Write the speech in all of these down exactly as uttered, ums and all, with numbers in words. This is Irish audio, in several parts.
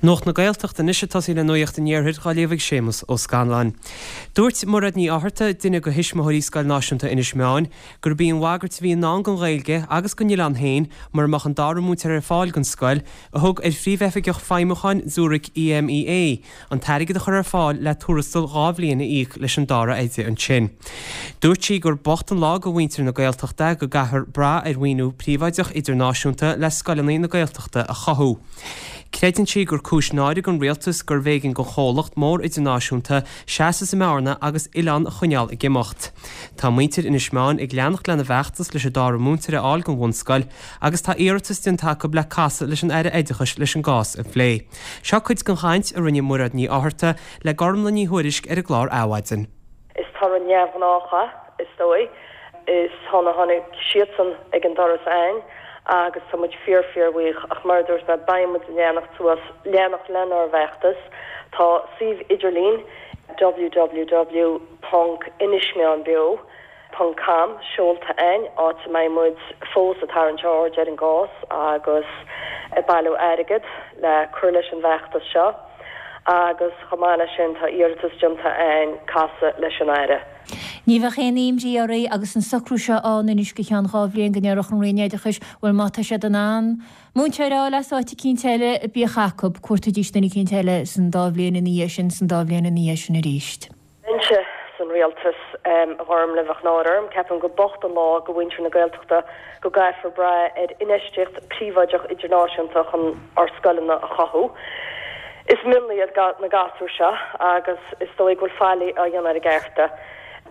Nuacht na Gaeltachta anois ag tosaí le Nuacht an Iarthair á léamh ag Séamus Ó Scanláin. Dúirt Mairéad Ní Fhátharta, duine de thuismitheoirí Scoil Náisiúnta Inis Meáin, gurb í an bhagairt a bhí i ndán don Ghaeilge agus don oileán féin mura mbeadh an dara múinteoir ar fáil don scoil, a thug ar phríomhoifigeach feidhmiúcháin Zurich EMEA an t-airgead a chur ar fáil le tuarastal dhá bhliain a íoc leis an dara oide ansin. Dúirt sí gur bocht an lá do mhuintir na Gaeltachta go gcaithfear brath ar mhaoiniú príobháideach idirnáisiúnta le scoileanna na Gaeltachta a chothú. Creideann sí gur cúis náire don rialtas gurbh éigean don chomhlacht mór idirnáisiúnta seasamh sa mbearna agus oileán a choinneáil ag imeacht. Tá muintir Inis Meáin ag leanacht lena bhfeachtas leis an dara múinteoir a fháil don bhunscoil agus tá iarratas déanta acu le casadh leis an Aire Oideachais leis an gcás a phlé. Seo cuid den chaint a rinne Mairéad Ní Fhátharta le Gormlaith Ní Thuairisg ar an gclár Adhmhaidin. Is toradh neamhghnách é, is dóigh. Is tháinig tháinig siadsan ag an doras againn agus tá muid fíor fíorbhuíoch ach mar a dúirt mé beidh muid ag leanacht suas leanacht lenár bhfeachtas. Tá suíomh idirlín www ponc inismeánbeo ponc com seolta againn áit a mbeidh muid fós ag tarraingt aird ar an gcás agus ag bailiú airgead le cur leis an bhfeachtas seo agus chomh maith leis sin tá iarratas déanta againn casadh leis an Aire. Ní bheadh aon imní oraibh agus an socrú seo ann anois go ceann dhá bhliain go ndéarfadh an Roinn Oideachais bhuel má tá siad in ann múinteoir a fháil as áit eicínt eile bíodh acu, cuartaídís duine eicínt eile san dá bhliain ina dhiaidh sin san dá bhliain ina dhiaidh sin arís. Bheinnse san rialtas a Ghormlaith bheadh náire orm, ceapaim gur bocht an lá do mhuintir na Gaeltachta go gcaithfear brath ar infheistíocht príobháideach idirnáisiúnta chun ár scoileanna a chothú. Is mionlaigh iad na gasúir seo agus is dóigh go bhfuil faillí á dhéanamh ar a gcearta.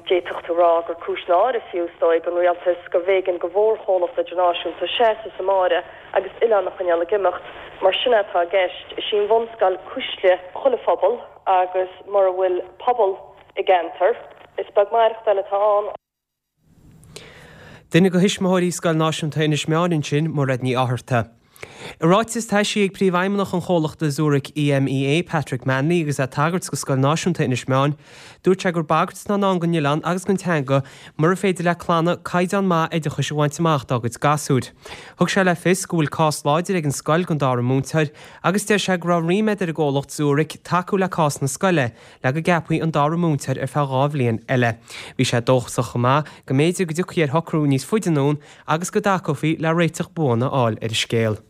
D'fhéadfadh tú rá gur cúis náire fiú is dóigh don rialtas gurbh éigean do mhórchomhlacht idirnáisiúnta seasamh sa mbearna agus oileán a choinneáil ag imeacht, mar sin atá i gceist. Is í an bhunscoil cuisle chuile phobal agus mura bhfuil pobal i gceantar, is beag maireachtáil atá ann. Duine de thuismitheoirí Scoil Náisiúnta Inis Meáin ansin, Mairéad Ní Fhátharta. I ráiteas atá eisithe ag príomhfheidhmeannach an chomhlachta Zurich EMEA, Patrick Manley, agus é ag tagairt do Scoil Náisiúnta Inis Meáin, dúirt sé gur bagairt atá i ndán don oileán agus don teanga mura féidir le clanna caighdeán maith oideachais a bhaint amach dá gcuid gasúir. Thug sé le fios go bhfuil cás láidir ag an scoil don dara múinteoir agus deir sé go raibh ríméad ar an gcomhlacht Zurich tacú le cás na scoile le go gceapfaí an dara múinteoir ar feadh dhá bhliain eile. Bhí sé dóchasach chomh maith go mb'fhéidir go dtiocfaí ar shocrú níos faide anonn agus go dtacófaí le réiteach buan a fháil ar an scéal.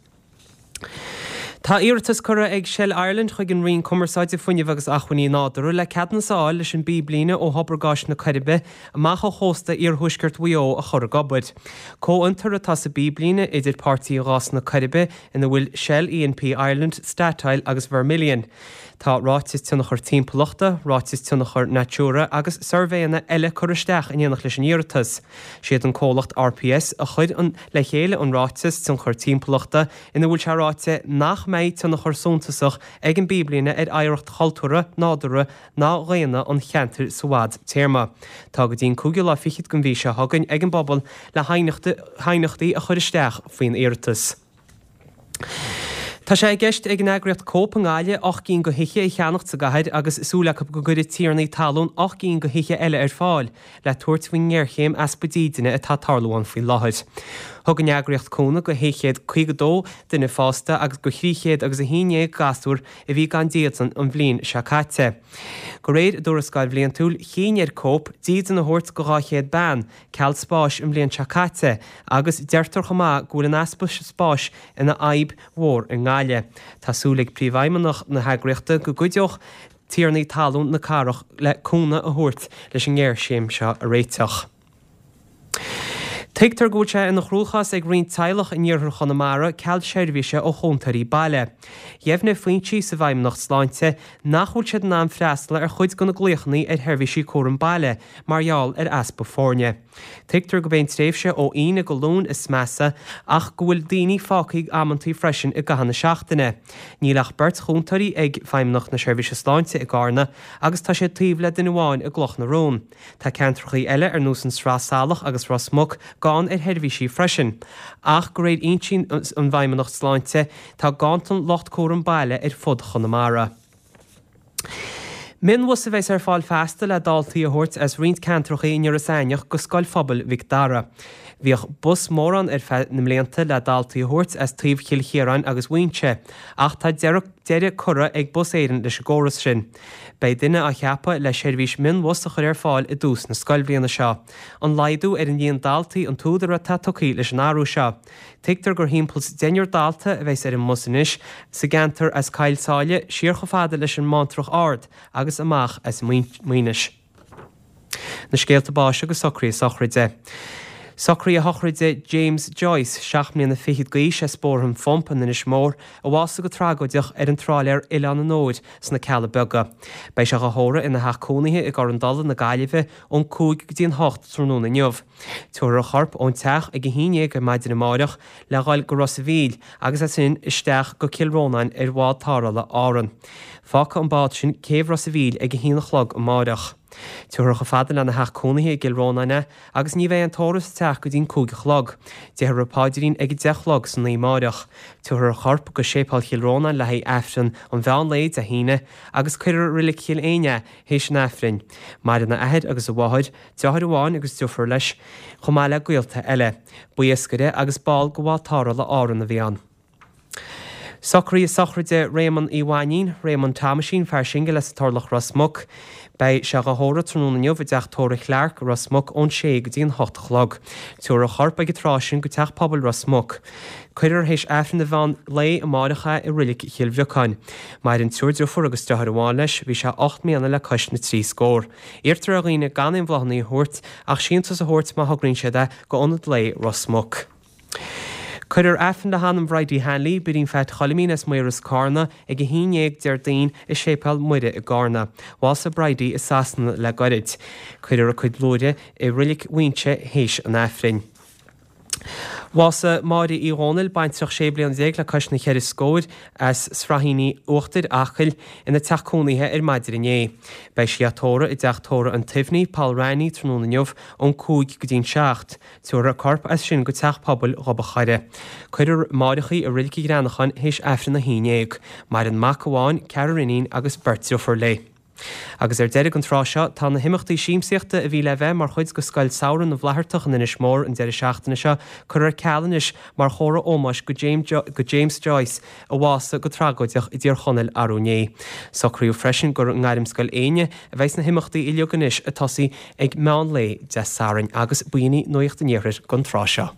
Tá iarratas curtha ag Shell Ireland chuig an Roinn Cumarsáide Fuinnimh agus Acmhainní Nádúrtha le ceadúnas a fháil leis an bpíblíne ó thobar gáis na Coiribe amach ó chósta iarthuaisceart Mhaigh Eo a chur ag obair. Comhfhiontar atá sa bpíblíne idir Páirtí Ghás na Coiribe ina bhfuil Shell E and P Ireland, Statoil agus Vermilion. Tá ráiteas tionchar timpeallachta, ráiteas tionchar Natura agus suirbhéanna eile curtha isteach in éineacht leis an iarratas. Siad an comhlacht RPS a chuir an le chéile an ráiteas tionchar timpeallachta ina bhfuil sé ráite nach mbeidh tionchar suntasach ag an bpíblíne ar oidhreacht chultúrtha, nádúrtha ná dhaonna an cheantair sa bhfadtéarma. Tá go dtí an cúigiú lá fichead den mhí seo chugainn ag an bpobal le haighneachtaí a chur isteach faoin iarratas. Tá sé i gceist ag an eagraíocht Cope i nGaillimh ocht gcinn de thithe a cheannacht sa gcathair agus súil acu go gcuirfidh tiarnaí talún ocht gcinn de thithe eile ar fáil le tabhairt faoin ngéarchéim easpa dídine atá ag tarlú ann faoi láthair. Thug an eagraíocht cúnamh do shé chéad caoga dó duine fásta agus do thrí chéad agus a haon déag gasúr a bhí gan dídean an bhliain seo caite. De réir a dtuarascáil bhliantúil, chinn ar Cope dídean a thabhairt do dhá chéad bean ceal spáis an bhliain seo caite agus deirtear chomh maith go bhfuil an easpa spáis ina fhadhb mhór i nGaillimh. Tá súil ag príomhfheidhmeannach na heagraíochta go gcuideodh tiarnaí talún na cathrach le cúnamh a thabhairt leis an ngéarchéim seo a réiteach. Tuigtear go bhfuil sé ina chruachás ag roinnt teaghlach in iarthar Chonamara ceal seirbhíse ó chúntóirí baile. Dheimhnigh foinsí sa bhFeidhmeannacht Sláinte nach bhfuil siad in ann freastal ar chuid de na glaochanna ar sheirbhísí cúram baile mar gheall ar easpa foirne. Tuigtear gurb é an tréimhse ó Aoine go Luan is measa ach go bhfuil daoine fágtha amantaí freisin i gcaitheamh na seachtaine. Níl ach beirt chúntóirí ag Feidhmeannacht na Seirbhíse Sláinte i gCarna agus tá sé taobh le duine amháin i gCloch na Rón. Tá ceantracha eile ar nós an Sraith Salach agus Ros Muc gann ar sheirbhísí freisin. Ach de réir fhoinsí an Fheidhmeannacht Sláinte tá ganntan lucht cúram baile ar fud Chonamara. Mionbhus a bheas ar fáil feasta le daltaí a thabhairt as roinnt ceantracha in Iorras Aithneach go Scoil Phobail Mhic Dara. Bhíodh bus mór ann ar feadh na mblianta le daltaí a thabhairt as taobh Chill Chiaráin agus Mhuinseo, ach tá deireadh curtha ag Bus Éireann leis an gcóras sin. Beidh duine á cheapadh le seirbhís mionbhus a chur ar fáil i dtús na scoilbhliana seo. An laghdú ar an líon daltaí an t-údar atá tugtha leis an athrú seo. Tuigtear gur thimpeall 's deichniúr dalta a bheas ar an mbus anois sa gceantar as Coill Sáile siar chomh fada leis an mBántrach Ard agus amach as Maínis. Na scéalta báis agus socruithe sochraide. Socruithe sochraide James Joyce, seacht mbliana fichead d'aois as Bóthar an Phump in Inis Mór, a bhásaigh go tragóideach ar an tráiléar Oileán an Óir sna Cealla Beaga. Beidh sé á thórramh ina theach cónaithe i gCorr an Dola na Gaillimhe ón cúig go dtí an hocht tráthnóna inniu. Tabharfar a chorp ón teach ag a haon déag ar maidin amáireach le dhul go Ros a' Mhíl agus as sin isteach go Cill Rónáin ar bhád tarrthála Árann. Fágfaidh an bád sin céibh Ros a' Mhíl ag a haon a chlog amáireach. Tabharfar chomh fada lena theach cónaithe i gCill Rónáin é agus ní bheidh an tórramh sa teach go dtí'n cúig a chlog. Déarfar an paidrín ag a deich a chlog san oíche amáireach. Tabharfar a chorp go Séipéal Chill Rónáin le haghaidh Aifreann an mheán lae Dé hAoine agus cuirfear i Reilig Chill Éinne é théis an Aifrinn. Maireann a athair agus a mháthair, deartháir amháin agus deirfiúr leis, chomh maith le gaolta eile. Ba iascaire agus ball de bhád tarrthála Árann a bhí ann. Socruithe sochraide Réamonn Uí Mhainín, Réamonn Thomaisín, fear singil as an Turlach Ros Muc. Beidh sé á thórramh tráthnóna inniu i dteach tórraimh Chlarke, Ros Muc ón sé go dtí an hocht a chlog. Tabharfar a chorp ag an tráth sin go Teach Pobail Ros Muc. Cuirfear théis Aifreann an mheán lae amáireach é i Reilig Chill Bhriocáin. Maireann triúr deirfiúr agus deartháir amháin leis, bhí sé ocht mbliana le cois na trí scór. Iarrtar ar dhaoine gan aon bhláthanna a thabhairt ach síntiús a thabhairt má thograíonn siad é go Ionad Lae Ros Muc. Cuirfear Aifreann le hanam Bhridie Hanley, Bidín Pheait Choilimín as Maoras, Cárna, ag a haon dhéag Déardaoin i Séipéal Muire i gCárna. Bhásaigh Bridie i Sasana le gairid. Cuirfear a cuid luaithre i Reilig Mhuinseo théis an Aifrinn. Bhásaigh Máire Uí Dhónaill, baintreach sé bliana déag le cois na ceithre scóir, as Sraithíní Uachtair, Acaill, ina teach cónaithe ar maidin inné. Beidh sí á tórramh i dteach tórraimh an tSuibhnigh, Poll Raithní, tráthnóna inniu ón cúig go dtí'n seacht. Tabharfar a corp as sin go Teach Pobail Ghob a' Choire. Cuirfear amáireach í i Reilig an Ghreanacháin théis Aifreann a haon dhéag. Maireann mac amháin, ceathrar iníon agus beirt deirfiúr léi. Agus ar deireadh an tráth seo, tá na himeachtaí siamsaíochta a bhí le bheith mar chuid de Scoil Samhraidh na bhFlaitheartach in Inis Mór an deireadh seachtaine seo curtha ar ceal anois mar chomhartha ómóis go James Joyce a bhásaigh go tragóideach i dTír Chonaill arú inné. Socraíodh freisin gur i nGairmscoil Éinne a bheidh na himeachtaí uilig anois ag tosaí ag meán lae Dé Sathairn agus b'in í Nuacht an Iarthair don tráth seo.